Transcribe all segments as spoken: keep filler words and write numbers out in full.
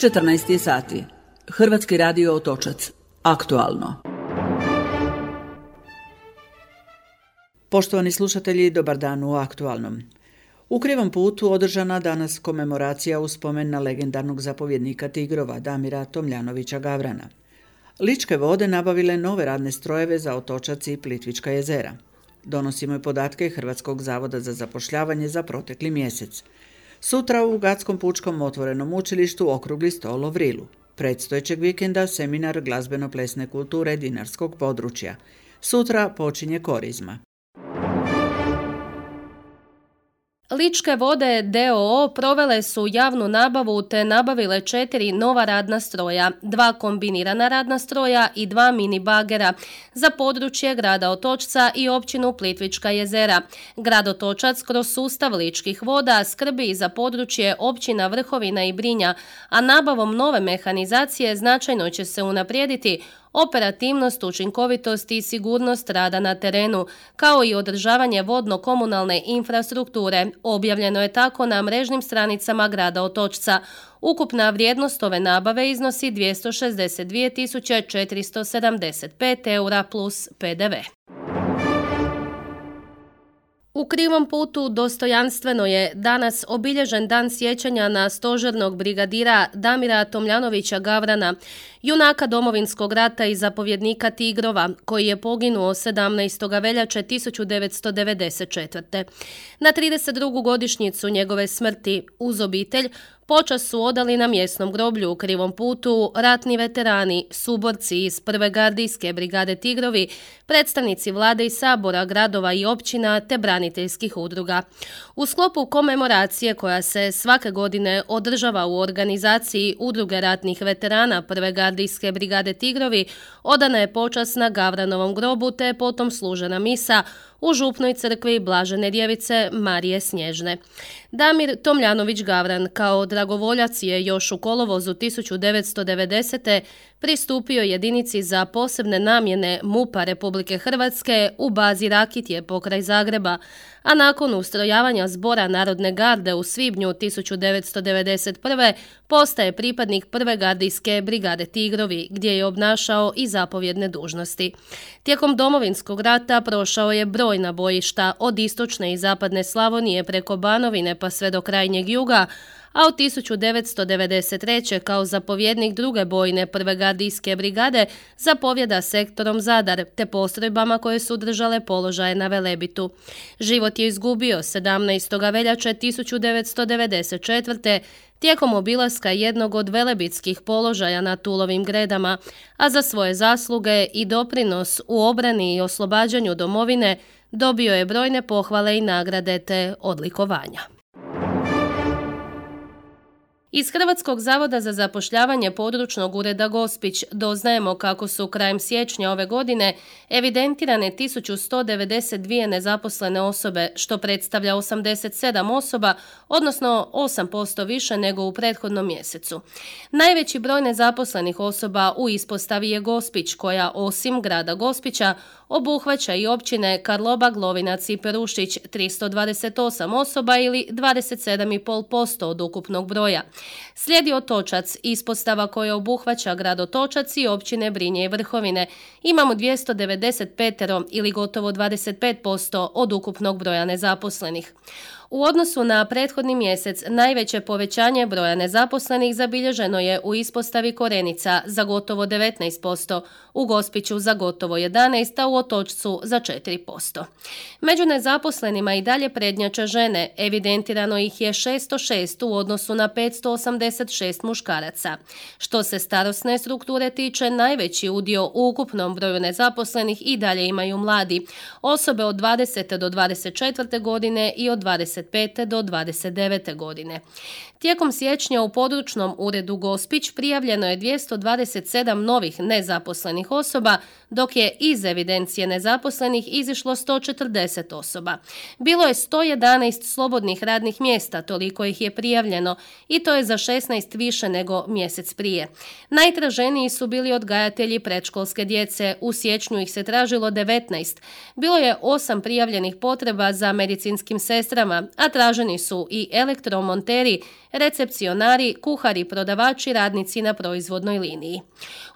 četrnaest je sati. Hrvatski radio Otočac. Aktualno. Poštovani slušatelji, dobar dan u Aktualnom. U Krivom putu održana danas komemoracija u spomen na legendarnog zapovjednika Tigrova Damira Tomljanovića Gavrana. Ličke vode nabavile nove radne strojeve za Otočac i Plitvička jezera. Donosimo i podatke Hrvatskog zavoda za zapošljavanje za protekli mjesec. Sutra u Gatskom pučkom otvorenom učilištu okrugli stol o vrilu. Predstojećeg vikenda seminar glazbeno-plesne kulture dinarskog područja. Sutra počinje korizma. Ličke vode d o o provele su javnu nabavu te nabavile četiri nova radna stroja, dva kombinirana radna stroja i dva mini bagera za područje grada Otočca i općinu Plitvička jezera. Grad Otočac kroz sustav ličkih voda skrbi i za područje općina Vrhovina i Brinja, a nabavom nove mehanizacije značajno će se unaprijediti operativnost, učinkovitost i sigurnost rada na terenu, kao i održavanje vodno-komunalne infrastrukture. Objavljeno je tako na mrežnim stranicama grada Otočca. Ukupna vrijednost ove nabave iznosi dvjesto šezdeset dvije tisuće četiristo sedamdeset pet eura plus pe de ve. U Krivom putu dostojanstveno je danas obilježen dan sjećanja na stožernog brigadira Damira Tomljanovića Gavrana, junaka Domovinskog rata i zapovjednika Tigrova, koji je poginuo sedamnaestog veljače tisuću devetsto devedeset četvrte. Na trideset drugu godišnjicu njegove smrti uz obitelj počast su odali na mjesnom groblju u Krivom putu ratni veterani, suborci iz prve gardijske brigade Tigrovi, predstavnici vlade i sabora, gradova i općina te braniteljskih udruga. U sklopu komemoracije koja se svake godine održava u organizaciji udruge ratnih veterana prve gardijske brigade Tigrovi, odana je počast na Gavranovom grobu te je potom služena misa u župnoj crkvi Blažene Djevice Marije Snježne. Damir Tomljanović Gavran kao dragovoljac je još u kolovozu tisuću devetsto devedesete. pristupio jedinici za posebne namjene MUP-a Republike Hrvatske u bazi Rakitje pokraj Zagreba, a nakon ustrojavanja Zbora Narodne garde u svibnju tisuću devetsto devedeset prve. postaje pripadnik prve gardijske brigade Tigrovi, gdje je obnašao i zapovjedne dužnosti. Tijekom Domovinskog rata prošao je brojna bojišta od istočne i zapadne Slavonije preko Banovine pa sve do krajnjeg juga, a od tisuću devetsto devedeset treće. kao zapovjednik druge bojne prve gardijske brigade zapovjeda sektorom Zadar te postrojbama koje su držale položaje na Velebitu. Život je izgubio sedamnaestog veljače tisuću devetsto devedeset četvrte. tijekom obilaska jednog od velebitskih položaja na Tulovim Gredama, a za svoje zasluge i doprinos u obrani i oslobađanju domovine dobio je brojne pohvale i nagrade te odlikovanja. Iz Hrvatskog zavoda za zapošljavanje područnog ureda Gospić doznajemo kako su krajem siječnja ove godine evidentirane tisuću sto devedeset dvije nezaposlene osobe, što predstavlja osamdeset sedam osoba, odnosno osam posto više nego u prethodnom mjesecu. Najveći broj nezaposlenih osoba u ispostavi je Gospić, koja osim grada Gospića obuhvaća i općine Karlobag, Lovinac i Perušić, tristo dvadeset osam osoba ili dvadeset sedam zarez pet posto od ukupnog broja. Slijedi Otočac, ispostava koja obuhvaća grad Otočac i općine Brinje i Vrhovine. Imamo dvjesto devedeset pet ili gotovo dvadeset pet posto od ukupnog broja nezaposlenih. U odnosu na prethodni mjesec najveće povećanje broja nezaposlenih zabilježeno je u ispostavi Korenica za gotovo devetnaest posto, u Gospiću za gotovo jedanaest posto, a u Otočcu za četiri posto. Među nezaposlenima i dalje prednjače žene, evidentirano ih je šesto šest u odnosu na petsto osamdeset šest muškaraca. Što se starosne strukture tiče, najveći udio u ukupnom broju nezaposlenih i dalje imaju mladi, osobe od dvadesete do dvadeset četvrte godine i od dvadeset pete do dvadeset devete godine. Tijekom siječnja u područnom uredu Gospić prijavljeno je dvjesto dvadeset sedam novih nezaposlenih osoba, dok je iz evidencije nezaposlenih izišlo sto četrdeset osoba. Bilo je sto jedanaest slobodnih radnih mjesta, toliko ih je prijavljeno, i to je za šesnaest više nego mjesec prije. Najtraženiji su bili odgajatelji predškolske djece, u siječnju ih se tražilo devetnaest. Bilo je osam prijavljenih potreba za medicinskim sestrama, a traženi su i elektromonteri, recepcionari, kuhari, prodavači, radnici na proizvodnoj liniji.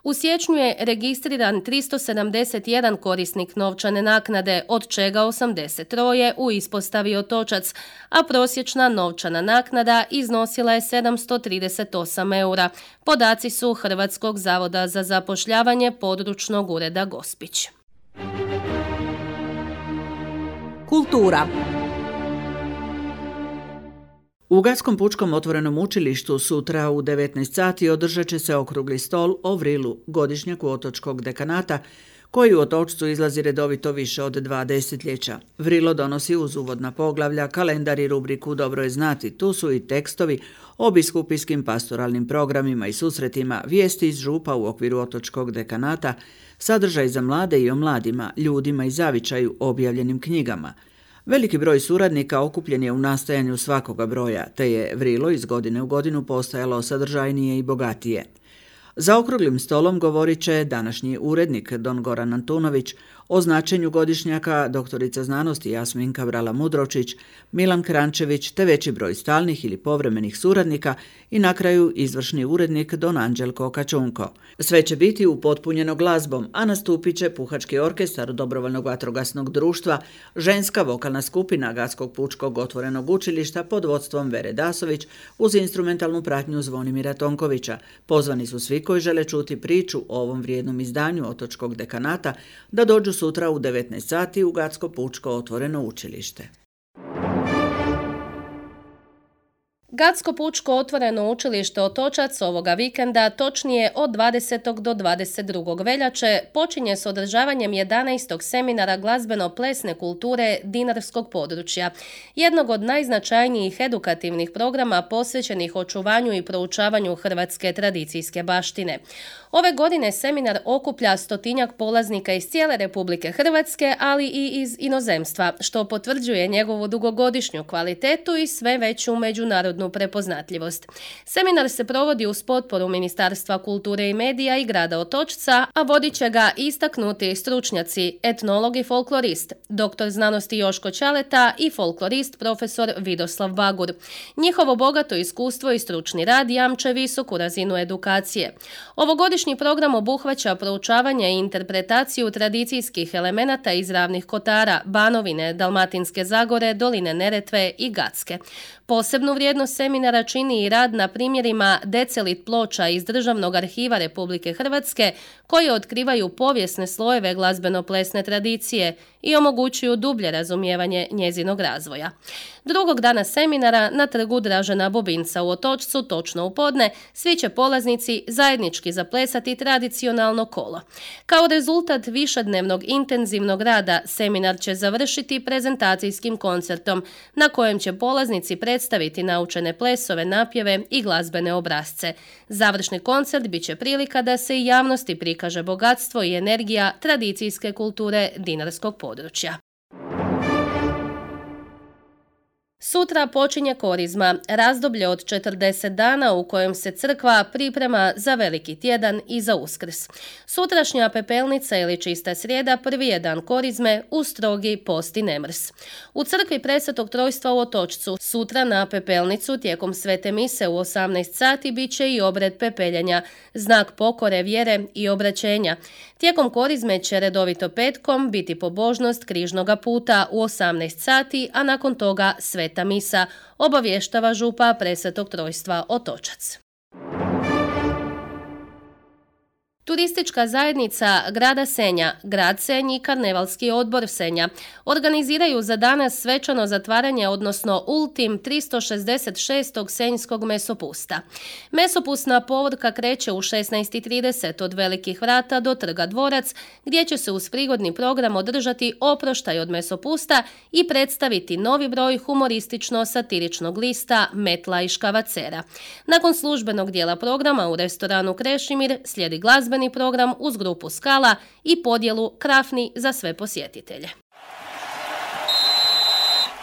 U siječnju je registriran tristo sedamdeset jedan korisnik novčane naknade, od čega osamdeset tri u ispostavi Otočac, a prosječna novčana naknada iznosila je sedamsto trideset osam eura. Podaci su Hrvatskog zavoda za zapošljavanje područnog ureda Gospić. Kultura. U Gatskom pučkom otvorenom učilištu sutra u devetnaest sati održat će se okrugli stol o vrilu, godišnjaku otočkog dekanata, koji u Otočcu izlazi redovito više od dva desetljeća. Vrilo donosi uz uvodna poglavlja, kalendar i rubriku Dobro je znati. Tu su i tekstovi o biskupijskim pastoralnim programima i susretima, vijesti iz župa u okviru otočkog dekanata, sadržaj za mlade i o mladima, ljudima i zavičaju, objavljenim knjigama. Veliki broj suradnika okupljen je u nastajanju svakoga broja, te je vrilo iz godine u godinu postajalo sadržajnije i bogatije. Za okruglim stolom govorit će današnji urednik Don Goran Antunović, o značenju godišnjaka doktorica znanosti Jasminka Vrala-Mudročić, Milan Krančević te veći broj stalnih ili povremenih suradnika i na kraju izvršni urednik Don Anđelko Kačunko. Sve će biti upotpunjeno glazbom, a nastupit će puhački orkestar Dobrovoljnog vatrogasnog društva, ženska vokalna skupina Gatskog pučkog otvorenog učilišta pod vodstvom Vere Dasović uz instrumentalnu pratnju Zvonimira Tonkovića. Pozvani su svi koji žele čuti priču o ovom vrijednom izdanju otočkog dekanata da dođu sutra u devetnaest sati u Gatsko pučko otvoreno učilište. Gatsko pučko otvoreno učilište Otočac ovoga vikenda, točnije od dvadesetog do dvadeset drugog veljače, počinje s održavanjem jedanaestog seminara glazbeno-plesne kulture dinarskog područja, jednog od najznačajnijih edukativnih programa posvećenih očuvanju i proučavanju hrvatske tradicijske baštine. Ove godine seminar okuplja stotinjak polaznika iz cijele Republike Hrvatske, ali i iz inozemstva, što potvrđuje njegovu dugogodišnju kvalitetu i sve veću međunarodnu prepoznatljivost. Seminar se provodi uz potporu Ministarstva kulture i medija i grada Otočca, a vodit će ga istaknuti stručnjaci, etnolog i folklorist, doktor znanosti Joško Ćaleta i folklorist profesor Vidoslav Bagur. Njihovo bogato iskustvo i stručni rad jamče visoku razinu edukacije. Ovogodišnji program obuhvaća proučavanje i interpretaciju tradicijskih elemenata iz Ravnih Kotara, Banovine, Dalmatinske Zagore, Doline Neretve i Gatske. Posebnu vrijednost seminara čini i rad na primjerima decelit ploča iz Državnog arhiva Republike Hrvatske koji otkrivaju povijesne slojeve glazbeno-plesne tradicije i omogućuju dublje razumijevanje njezinog razvoja. Drugog dana seminara na trgu Dražena Bobinca u Otočcu, točno u podne, svi će polaznici zajednički zaplesati tradicionalno kolo. Kao rezultat višednevnog intenzivnog rada, seminar će završiti prezentacijskim koncertom na kojem će polaznici predstaviti naučene plesove, napjeve i glazbene obrasce. Završni koncert bit će prilika da se i javnosti prikaže bogatstvo i energija tradicijske kulture dinarskog područja. Sutra počinje Korizma, razdoblje od četrdeset dana u kojem se crkva priprema za Veliki tjedan i za Uskrs. Sutrašnja pepelnica ili čista srijeda prvi je dan Korizme u strogi post i nemrs. U crkvi Presvetog Trojstva u Otočcu sutra na pepelnicu tijekom svete mise u osamnaest sati bit će i obred pepeljenja, znak pokore, vjere i obraćenja. Tijekom Korizme će redovito petkom biti pobožnost križnoga puta u osamnaest sati, a nakon toga sveta misa, obavještava župa Presvetog Trojstva Otočac. Turistička zajednica grada Senja, grad Senj i Karnevalski odbor Senja organiziraju za danas svečano zatvaranje, odnosno ultim tristo šezdeset šestog senjskog mesopusta. Mesopusna povorka kreće u šesnaest i trideset od Velikih vrata do Trga Dvorac, gdje će se uz prigodni program održati oproštaj od mesopusta i predstaviti novi broj humoristično-satiričnog lista Metla i Škavacera. Nakon službenog dijela programa u restoranu Krešimir slijedi glazbeni program uz grupu Skala i podjelu krafni za sve posjetitelje.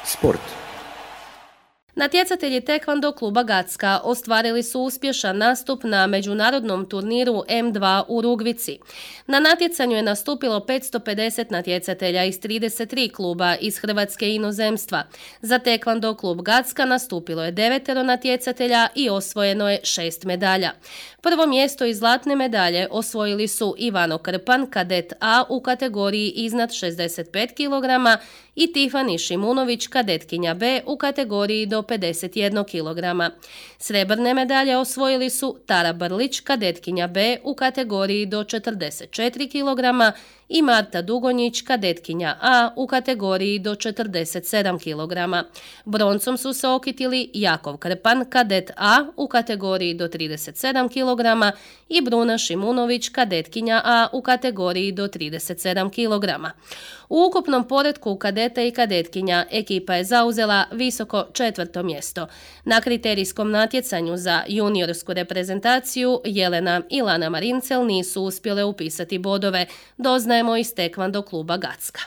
Sport. Natjecatelji tekvando kluba Gacka ostvarili su uspješan nastup na međunarodnom turniru em dva u Rugvici. Na natjecanju je nastupilo petsto pedeset natjecatelja iz trideset tri kluba iz Hrvatske i inozemstva. Za tekvando klub Gacka nastupilo je devetero natjecatelja i osvojeno je šest medalja. Prvo mjesto i zlatne medalje osvojili su Ivano Krpan, kadet A u kategoriji iznad šezdeset pet kilograma i Tifani Šimunović, kadetkinja B u kategoriji do pedeset jedan kilograma. Srebrne medalje osvojili su Tara Brlić, kadetkinja B u kategoriji do četrdeset četiri kilograma i Marta Dugonjić, kadetkinja A u kategoriji do četrdeset sedam kilograma. Broncom su se okitili Jakov Krpan, kadet A u kategoriji do trideset sedam kilograma i Bruna Šimunović, kadetkinja A u kategoriji do trideset sedam kilograma. U ukupnom poretku kadeta i kadetkinja ekipa je zauzela visoko četvrto mjesto. Na kriterijskom natjecanju za juniorsku reprezentaciju Jelena i Lana Marincel nisu uspjele upisati bodove, doznajemo iz tekvando kluba Gacka.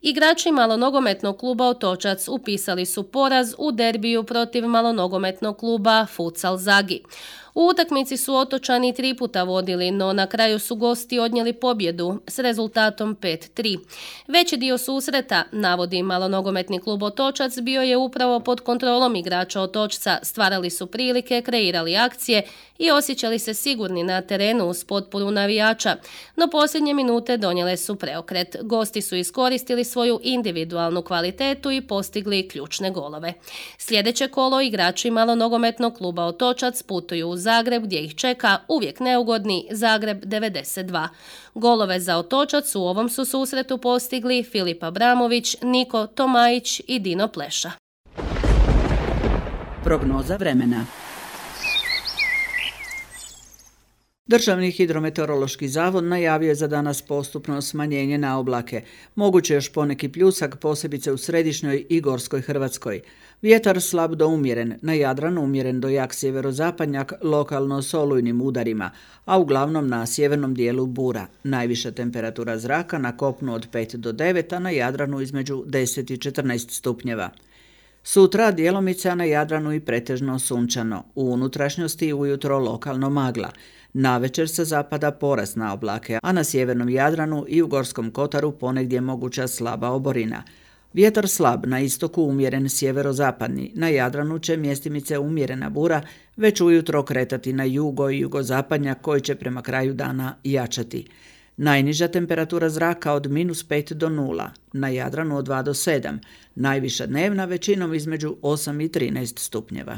Igrači malonogometnog kluba Otočac upisali su poraz u derbiju protiv malonogometnog kluba Futsal Zagi. U utakmici su Otočani tri puta vodili, no na kraju su gosti odnijeli pobjedu s rezultatom pet tri. Veći dio susreta, navodi malonogometni klub Otočac, bio je upravo pod kontrolom igrača Otočca, stvarali su prilike, kreirali akcije i osjećali se sigurni na terenu uz potporu navijača, no posljednje minute donijele su preokret. Gosti su iskoristili svoju individualnu kvalitetu i postigli ključne golove. Sljedeće kolo igrači malonogometnog kluba Otočac putuju u Zagreb gdje ih čeka uvijek neugodni Zagreb devedeset dva. Golove za Otočac u ovom su susretu postigli Filip Abramović, Niko Tomajić i Dino Pleša. Prognoza vremena. Državni hidrometeorološki zavod najavio je za danas postupno smanjenje na oblake. Moguće još poneki pljusak, posebice u središnjoj i gorskoj Hrvatskoj. Vjetar slab do umjeren, na Jadranu umjeren do jak sjeverozapadnjak, lokalno s olujnim udarima, a uglavnom na sjevernom dijelu bura. Najviša temperatura zraka na kopnu od pet do devet, a na Jadranu između deset i četrnaest stupnjeva. Sutra djelomice, a na Jadranu i pretežno sunčano. U unutrašnjosti ujutro lokalno magla. Navečer sa zapada porast na oblake, a na sjevernom Jadranu i u Gorskom Kotaru ponegdje moguća slaba oborina. Vjetar slab, na istoku umjeren sjeverozapadni, na Jadranu će mjestimice umjerena bura već ujutro kretati na jugo i jugozapadnjak koji će prema kraju dana jačati. Najniža temperatura zraka od minus pet do nula, na Jadranu od dva do sedam, najviša dnevna većinom između osam i trinaest stupnjeva.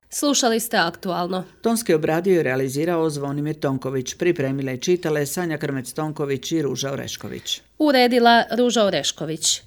Slušali ste Aktualno. Tonski obradio i realizirao Zvonimir Tonković, pripremile i čitale Sanja Krmec-Tonković i Ruža Orešković. Uredila Ruža Orešković.